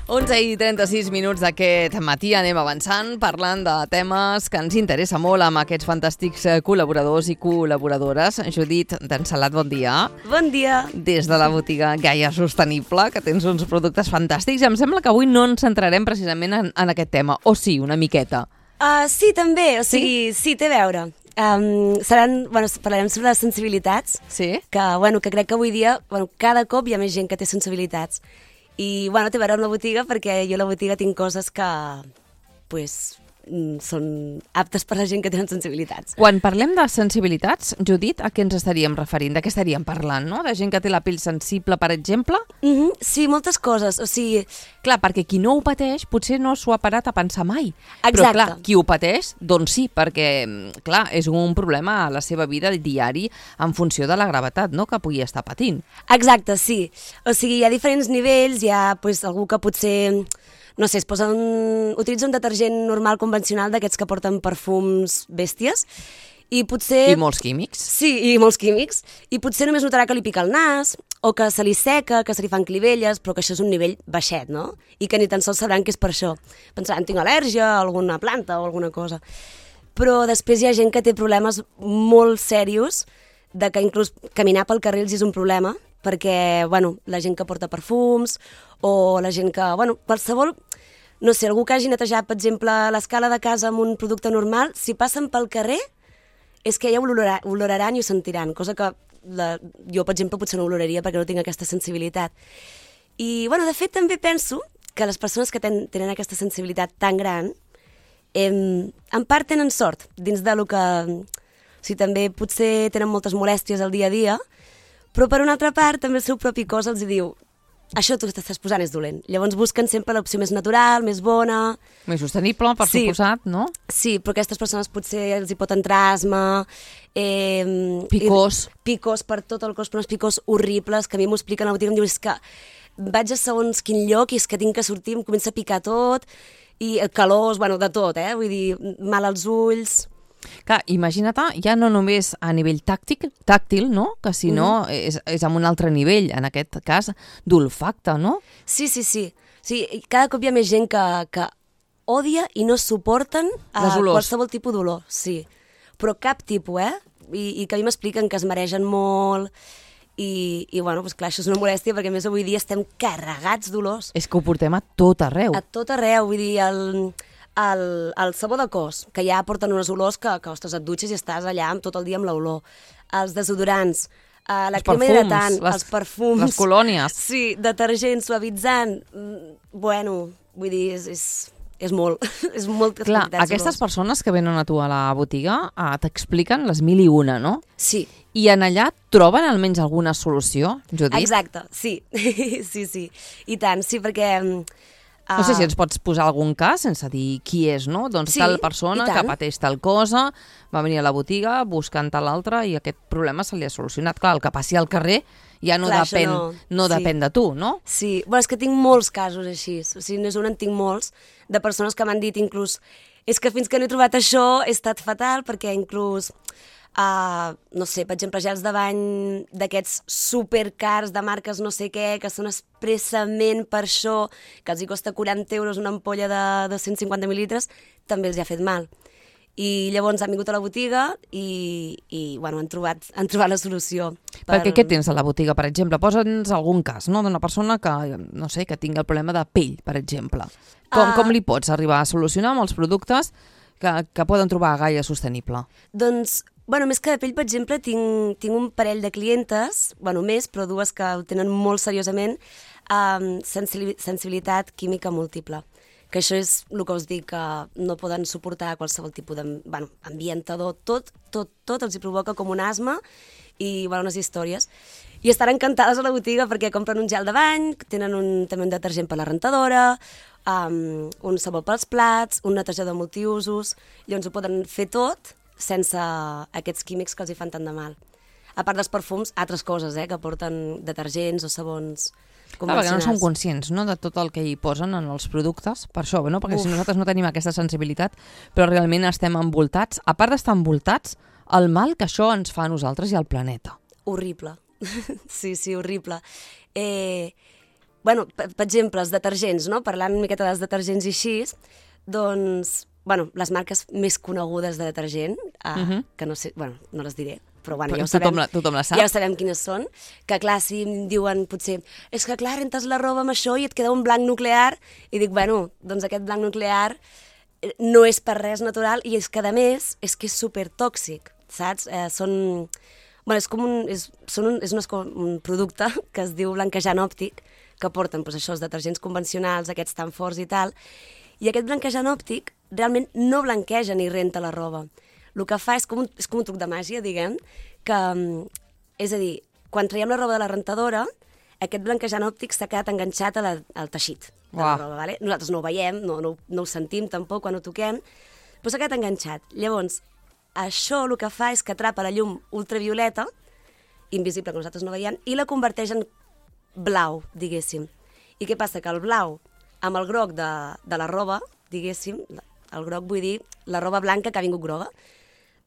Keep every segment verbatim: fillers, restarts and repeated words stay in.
onze i trenta-sis minuts d'aquest matí anem avançant parlant de temes que ens interessa molt amb aquests fantàstics col·laboradors i col·laboradores. Judit d'Ensalat, bon dia. Bon dia. Des de la botiga Gaia Sostenible, que tens uns productes fantàstics. Em sembla que avui no ens centrarem precisament en, en aquest tema, o sí, una miqueta. Uh, sí, també, o sigui, sí, sí té a veure. Um, seran, bueno, parlarem sobre les sensibilitats, sí? que, bueno, que crec que avui dia bueno, cada cop hi ha més gent que té sensibilitats. I, bueno, té a veure amb la botiga perquè jo a la botiga tinc coses que, pues, són aptes per a la gent que tenen sensibilitats. Quan parlem de sensibilitats, Judit, a què ens estaríem referint? De què estaríem parlant, no? De gent que té la pell sensible, per exemple? Mm-hmm, sí, moltes coses, o sigui... Clar, perquè qui no ho pateix potser no s'ho ha parat a pensar mai. Exacte. Però clar, qui ho pateix, doncs sí, perquè, clar, és un problema a la seva vida diari en funció de la gravetat, no?, que pugui estar patint. Exacte, sí. O sigui, hi ha diferents nivells, hi ha pues, algú que potser... No sé, es posa un, utilitza un detergent normal convencional d'aquests que porten perfums bèsties i potser... I molts químics. Sí, i molts químics. I potser només notarà que li pica el nas o que se li seca, que se li fan clivelles, però que això és un nivell baixet, no? I que ni tan sols sabran que és per això. Pensaran, tinc al·lèrgia a alguna planta o alguna cosa. Però després hi ha gent que té problemes molt serios, de que inclús caminar pel carrer els és un problema, perquè, bueno, la gent que porta perfums o la gent que, bueno, qualsevol, no sé, algú que hagi netejat, per exemple, l'escala de casa amb un producte normal, si passen pel carrer, és que ja ho olorarà, oloraran i ho sentiran, cosa que la, jo, per exemple, potser no oloraria perquè no tinc aquesta sensibilitat. I, bueno, de fet, també penso que les persones que ten, tenen aquesta sensibilitat tan gran, eh, en part tenen sort, dins de lo que... O sigui, també potser tenen moltes molèsties al dia a dia, però per una altra part també el seu propi cos els diu això tu t'estàs posant és dolent. Llavors busquen sempre l'opció més natural, més bona... Més sostenible, per sí. suposat, no? Sí, però aquestes persones potser els hi pot entrar asma... Eh, picors. I, picors per tot el cos, però uns picors horribles, que a mi m'ho expliquen a la botiga, em diu, és que vaig a segons quin lloc i és que tinc que sortir, em comença a picar tot, i calors, bueno, de tot, eh? Vull dir, mal als ulls... Clar, imagina't, ja no només a nivell tàctil, tàctil, no? Que si no mm. és, és amb un altre nivell, en aquest cas, d'olfacte, no? Sí, sí, sí. sí. Cada cop hi ha més gent que, que odia i no suporten a qualsevol tipus d'olor. Sí. Però cap tipus, eh? I, i que a mi m'expliquen que es maregen molt i, i bueno, doncs clar, això és una molèstia perquè a més avui dia estem carregats d'olors. És que ho portem a tot arreu. A tot arreu, vull dir, el... El, el sabó de cos, que ja porten unes olors que, que ostres, et dutxes i estàs allà tot el dia amb l'olor. Els desodorants, uh, la crema hidratant, les, els perfums... Les colònies. Sí, detergent, suavitzant... Bueno, vull dir, és, és, és molt. és molt clar, aquestes olors. Persones que venen a tu a la botiga uh, t'expliquen les mil i una, no? Sí. I en allà troben almenys alguna solució, Judit? Exacte, sí. sí, sí. I tant, sí, perquè... No sé si ens pots posar algun cas sense dir qui és, no? Doncs sí, tal persona que pateix tal cosa, va venir a la botiga buscant tal altra i aquest problema se li ha solucionat. Clar, el que passi al carrer ja no Clar, depèn, no, no sí. depèn de tu, no? Sí, bueno, és que tinc molts casos així. O sigui, no és un, en tinc molts, de persones que m'han dit inclús és que fins que no he trobat això he estat fatal perquè inclús... Uh, no sé, per exemple, gels de bany d'aquests supercars de marques no sé què, que són expressament per això, que els hi costa quaranta euros una ampolla de, de cent cinquanta mil·litres, també els hi ha fet mal. I llavors han vingut a la botiga i, i bueno, han trobat, han trobat la solució. Per... Perquè què tens a la botiga, per exemple? Posa'ns algun cas, no?, d'una persona que, no sé, que tingui el problema de pell, per exemple. Com, uh... com li pots arribar a solucionar amb els productes que, que poden trobar a Gaia Sostenible? Doncs... Bueno, més que de pell, per exemple, tinc, tinc un parell de clientes, bueno, més, però dues que ho tenen molt seriosament, um, sensibilitat química múltiple. Que això és el que us dic, que no poden suportar qualsevol tipus de, bueno, ambientador, tot, tot, tot els hi provoca com un asma i, bueno, unes històries. I estan encantades a la botiga perquè compren un gel de bany, tenen un, també un detergent per la rentadora, um, un sabó pels plats, un netejador multiusos, llavors ho poden fer tot, sense aquests químics que els hi fan tant de mal. A part dels perfums, altres coses, eh, que porten detergents o sabons convencionals. Clar, perquè no som conscients, no?, de tot el que hi posen en els productes, per això, no? Perquè Uf. si nosaltres no tenim aquesta sensibilitat, però realment estem envoltats, a part d'estar envoltats, el mal que això ens fa a nosaltres i al planeta. Horrible. sí, sí, horrible. Eh, bueno, per, per exemple, els detergents, no? Parlant una miqueta dels detergents i així, doncs, bueno, les marques més conegudes de detergent, uh, uh-huh. que no sé, bueno, no les diré, però bueno, ja ho sabem, tothom la, tothom la sap. Ja ho sabem quines són, que clar, si em diuen potser, és que clar, rentes la roba amb això i et queda un blanc nuclear, i dic, bueno, doncs aquest blanc nuclear no és per res natural i és que a més és que és supertòxic, saps? Eh, són, bueno, és com un, és, són un, és un, un producte que es diu blanquejant òptic, que porten doncs, això, els detergents convencionals, aquests tan forts i tal, i aquest blanquejant òptic realment no blanqueja ni renta la roba. El que fa és com un, és com un truc de màgia, diguem, que, és a dir, quan traiem la roba de la rentadora, aquest blanquejant òptic s'ha quedat enganxat a la, al teixit de la roba, vale? Nosaltres no ho veiem, no, no, no ho sentim tampoc quan ho toquem, però s'ha quedat enganxat. Llavors, això el que fa és que atrapa la llum ultravioleta, invisible que nosaltres no veiem, i la converteix en blau, diguéssim. I què passa? Que el blau, amb el groc de, de la roba, diguéssim, el groc vull dir la roba blanca que ha vingut groga,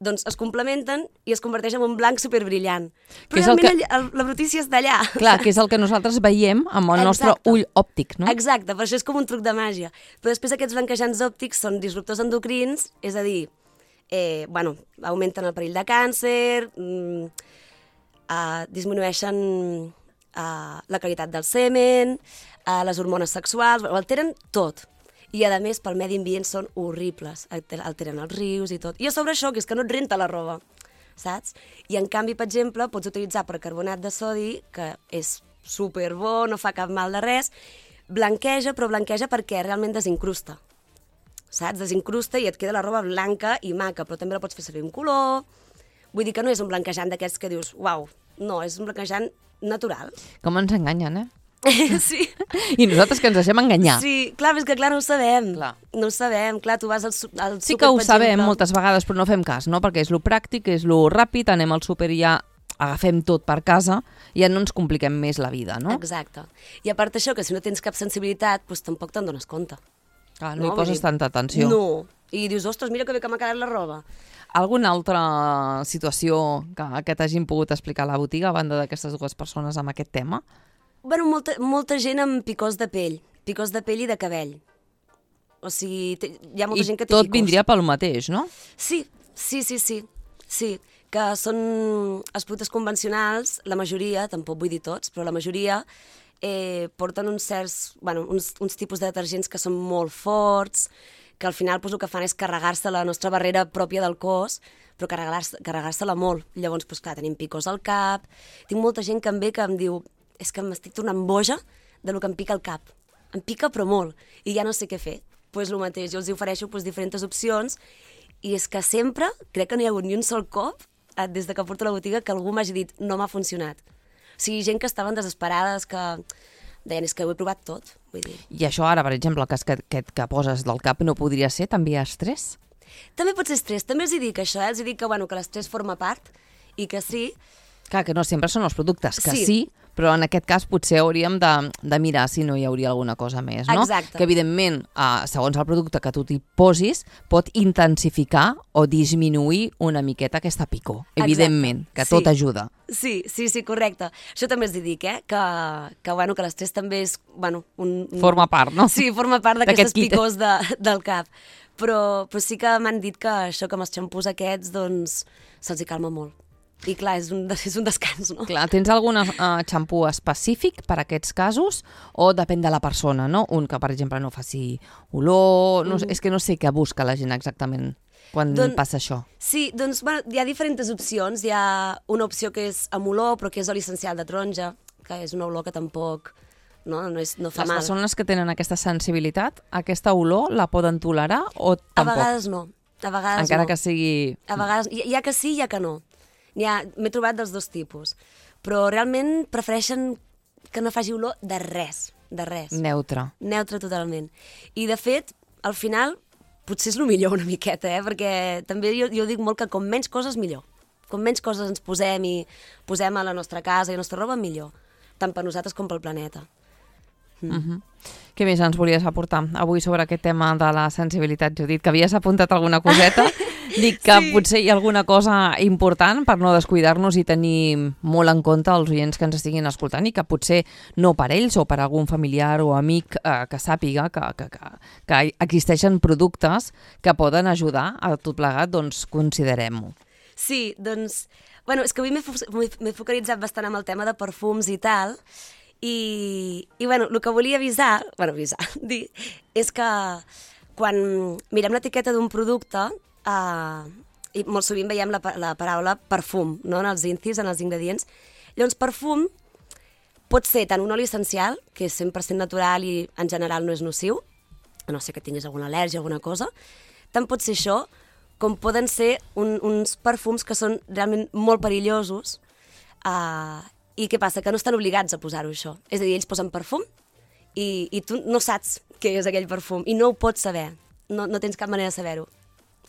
doncs es complementen i es converteix en un blanc superbrillant. Però que realment que... el, la brutícia és d'allà. Clar, que és el que nosaltres veiem amb el Exacte. nostre ull òptic, no? Exacte, per això és com un truc de màgia. Però després aquests blanquejants òptics són disruptors endocrins, és a dir, eh, bueno, augmenten el perill de càncer, mm, eh, disminueixen eh, la qualitat del semen, eh, les hormones sexuals, ho alteren tot. I, a més, pel medi ambient són horribles. Alteren els rius i tot. I a sobre això, que és que no et renta la roba, saps? I, en canvi, per exemple, pots utilitzar percarbonat de sodi, que és superbo, no fa cap mal de res, blanqueja, però blanqueja perquè realment desincrusta. Saps? Desincrusta i et queda la roba blanca i maca, però també la pots fer servir un color. Vull dir que no és un blanquejant d'aquests que dius, uau, no, és un blanquejant natural. Com ens enganyen, eh? Sí. I nosaltres que ens deixem enganyar. Sí, clar, és que clar, no ho sabem. Clar. No ho sabem, clar, tu vas al, al sí súper, que ho per sabem exemple. moltes vegades, però no fem cas, no? Perquè és lo pràctic, és lo ràpid, anem al súper i ja agafem tot per casa i ja no ens compliquem més la vida, no? Exacte. I a part d'això, que si no tens cap sensibilitat, doncs tampoc te'n dones compte. Clar, no, no hi poses dir... tanta atenció. No. I dius, ostres, mira que bé que m'ha quedat la roba. Alguna altra situació que, que t'hagin pogut explicar a la botiga a banda d'aquestes dues persones amb aquest tema? Bueno, molta, molta gent amb picors de pell, picors de pell i de cabell. O sigui, té, hi ha molta I gent que té tot picors. Vindria pel mateix, no? Sí, sí, sí, sí, sí, que són els productes convencionals, la majoria, tampoc vull dir tots, però la majoria eh, porten uns certs, bueno, uns, uns tipus de detergents que són molt forts, que al final pues, el que fan és carregar-se la nostra barrera pròpia del cos, però carregar-se, carregar-se-la molt. Llavors, pues, clar, tenim picors al cap. Tinc molta gent que em ve que em diu és que m'estic tornant boja del que em pica el cap. Em pica però molt, i ja no sé què fer. Doncs pues, el mateix, jo els ofereixo pues, diferents opcions, i és que sempre, crec que no hi ha hagut ni un sol cop, des de que porto a la botiga, que algú m'hagi dit no m'ha funcionat. O sigui, gent que estaven desesperades, que deien és que ho he provat tot. Vull dir. I això ara, per exemple, el cas que, que, que poses del cap no podria ser també estrès? També pot ser estrès, també els hi dic això, eh? Els hi dic que, bueno, que l'estrès forma part, i que sí. Clar, que no sempre són els productes, que sí, sí però en aquest cas potser hauríem de, de mirar si no hi hauria alguna cosa més, no? Exacte. Que evidentment, eh, segons el producte que tu t'hi posis, pot intensificar o disminuir una miqueta aquesta picor. Evidentment, Exacte. que tot sí. ajuda. Sí, sí, sí, correcte. Això també els dic, eh? Que, que, bueno, que l'estrès també és... Bueno, un, un... Forma part, no? Sí, forma part d'aquestes picors de, del cap. Però, però sí que m'han dit que això, que amb els xampús aquests, doncs, se'ls hi calma molt. I clar, és un, és un descans, no? Clar, tens algun uh, xampú específic per a aquests casos o depèn de la persona, no? Un que, per exemple, no faci olor... No, mm. És que no sé què busca la gent exactament quan Don, passa això. Sí, doncs bueno, hi ha diferents opcions. Hi ha una opció que és amb olor, però que és oli essencial de taronja, que és una olor que tampoc... No, no, és, no fa Les mal. Les persones que tenen aquesta sensibilitat, aquesta olor la poden tolerar o tampoc? A vegades no. A vegades Encara no. que sigui... A vegades, hi ha que sí, hi ha que no. M'he trobat dels dos tipus, però realment prefereixen que no faci olor de res, de res. Neutre. Neutre totalment. I de fet, al final, potser és el millor una miqueta, eh? Perquè també jo, jo dic molt que com menys coses millor. Com menys coses ens posem i posem a la nostra casa i a la nostra roba, millor. Tant per nosaltres com pel planeta. Mm. Uh-huh. Què més ens volies aportar avui sobre aquest tema de la sensibilitat, Judit? Que havies apuntat alguna coseta Dic que sí. Potser hi ha alguna cosa important per no descuidar-nos i tenir molt en compte els oients que ens estiguin escoltant i que potser no per ells o per algun familiar o amic eh, que sàpiga que, que, que, que existeixen productes que poden ajudar a tot plegat, doncs considerem-ho. Sí, doncs, bueno, és que avui m'he focalitzat bastant amb el tema de perfums i tal, i, i bueno, el que volia avisar, bueno, avisar, dir, és que quan mirem l'etiqueta d'un producte, eh, i molt sovint veiem la, la paraula perfum, no?, en els incis, en els ingredients. Llavors, perfum pot ser tant un oli essencial, que és cent per cent natural i en general no és nociu, a no ser que tinguis alguna al·lèrgia o alguna cosa, tant pot ser això, com poden ser un, uns perfums que són realment molt perillosos, eh, i què passa? Que no estan obligats a posar-ho això. És a dir, ells posen perfum i, i tu no saps què és aquell perfum i no ho pots saber. No, no tens cap manera de saber-ho.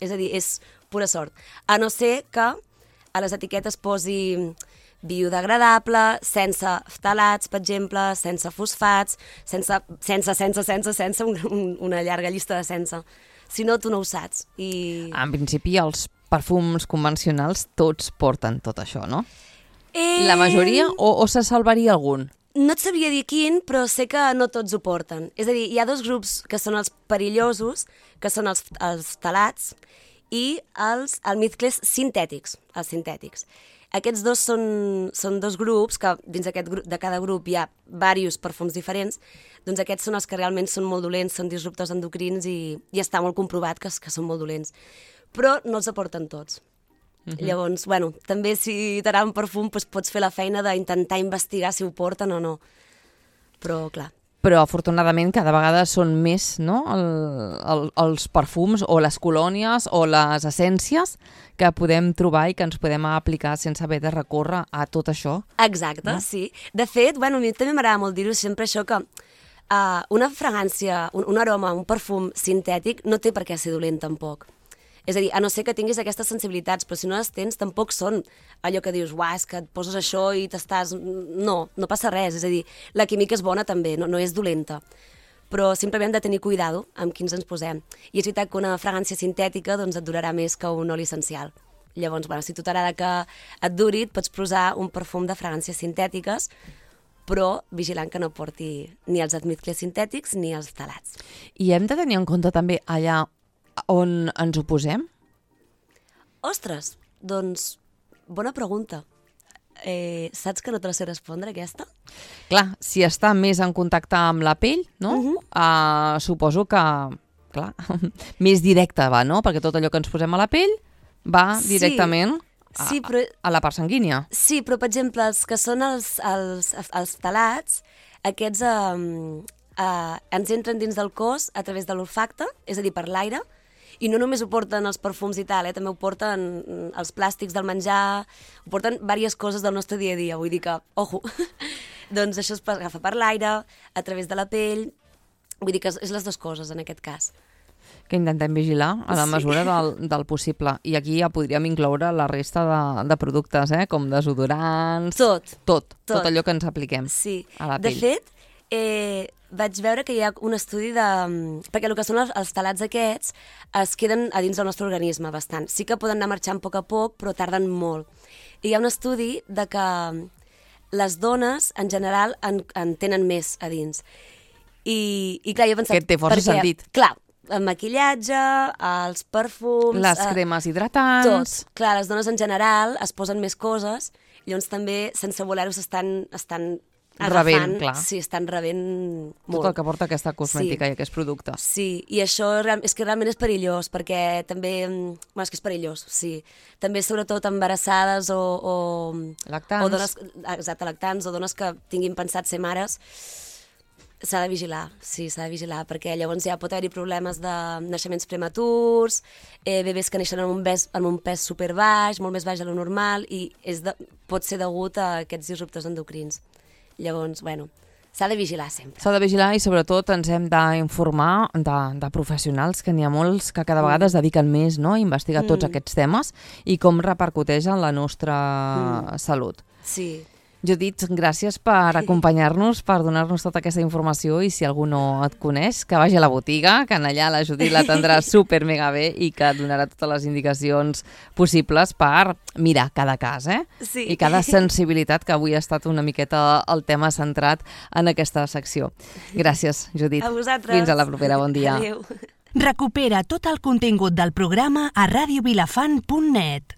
És a dir, és pura sort. A no ser que a les etiquetes posi biodegradable, sense ftalats, per exemple, sense fosfats, sense, sense, sense, sense, sense, un, un, una llarga llista de sense. Si no, tu no ho saps. I... En principi, els perfums convencionals tots porten tot això, no? Eh... La majoria o, o se salvaria algun? No et sabria dir quin, però sé que no tots ho porten. És a dir, hi ha dos grups que són els perillosos, que són els, els ftalats, i els almizcles sintètics, els sintètics. Aquests dos són, són dos grups, que dins aquest grup, de cada grup hi ha diversos perfums diferents, doncs aquests són els que realment són molt dolents, són disruptors endocrins i, i està molt comprovat que, que són molt dolents. Però no els aporten tots. Uh-huh. Llavors, bueno, també si t'agrada un perfum doncs pots fer la feina d'intentar investigar si ho porten o no. Però, clar. Però, afortunadament, cada vegada són més, no?, el, el, els perfums o les colònies o les essències que podem trobar i que ens podem aplicar sense haver de recórrer a tot això. Exacte, no? Sí. De fet, bueno, a mi també m'agrada molt dir-ho sempre això que uh, una fragància, un, un aroma, un perfum sintètic no té per què ser dolent tampoc. És a dir, a no ser que tinguis aquestes sensibilitats, però si no les tens tampoc són allò que dius, uah, és que et poses això i t'estàs... No, no passa res, és a dir, la química és bona també, no, no és dolenta. Però simplement hem de tenir cuidado amb quins ens posem. I és veritat que una fragància sintètica doncs, et durarà més que un oli essencial. Llavors, bueno, si tu t'agrada que et duri, et pots posar un perfum de fragàncies sintètiques, però vigilant que no porti ni els almizcles sintètics ni els ftalats. I hem de tenir en compte també allà on ens ho posem? Ostres, doncs, bona pregunta. Eh, saps que no te la sé respondre, aquesta? Clar, si està més en contacte amb la pell, no? Uh-huh. uh, suposo que, clar, més directe va, no? Perquè tot allò que ens posem a la pell va directament sí, sí, però... a, a la part sanguínia. Sí, però, per exemple, els que són els, els, els ftalats, aquests eh, eh, ens entren dins del cos a través de l'olfacte, és a dir, per l'aire, i no només ho porten els perfums i tal, eh? També ho porten els plàstics del menjar, ho porten diverses coses del nostre dia a dia, vull dir que, ojo, doncs això es agafa per l'aire, a través de la pell, vull dir que és les dues coses en aquest cas. Que intentem vigilar a la mesura sí. del, del possible. I aquí ja podríem incloure la resta de, de productes, eh? Com desodorants... Tot. Tot. Tot. Tot allò que ens apliquem sí. a la pell. De fet, eh, vaig veure que hi ha un estudi de... Perquè el que són els, els talats aquests es queden a dins del nostre organisme bastant. Sí que poden anar marxant a poc a poc, però tarden molt. I hi ha un estudi de que les dones, en general, en, en tenen més a dins. I, i clar, jo he pensat... Que té força perquè, sentit. Clar, el maquillatge, els perfums... Les cremes hidratants... Tot. Clar, les dones en general es posen més coses, llavors també, sense voler-ho, s'estan estan agafant... Rebent, clar. Sí, estan rebent molt. Tot el que porta aquesta cosmètica sí. i aquests productes. Sí, i això és que realment és perillós, perquè també... Bueno, és que és perillós, sí. També, sobretot, embarassades o... o lactants. O dones, exacte, lactants, o dones que tinguin pensat ser mares... S'ha de vigilar, sí, s'ha de vigilar, perquè llavors ja pot haver-hi problemes de naixements prematurs, eh, bebès que neixen amb un, pes, amb un pes superbaix, molt més baix de lo normal, i és de, pot ser degut a aquests disruptors endocrins. Llavors, bueno, s'ha de vigilar sempre. S'ha de vigilar i sobretot ens hem d'informar de, de professionals, que n'hi ha molts que cada vegada es dediquen més, no?, a investigar mm. tots aquests temes i com repercuteix en la nostra mm. salut. Sí. Judit, gràcies per acompanyar-nos, per donar-nos tota aquesta informació i si algú no et coneix, que vagi a la botiga, que en allà la Judit l'atendrà super mega bé i que et donarà totes les indicacions possibles per mirar cada cas, eh? Sí. I cada sensibilitat, que avui ha estat una miqueta el tema centrat en aquesta secció. Gràcies, Judit. A vosaltres. Fins a la propera, bon dia. Adéu. Recupera tot el contingut del programa a radio vilafant punt net.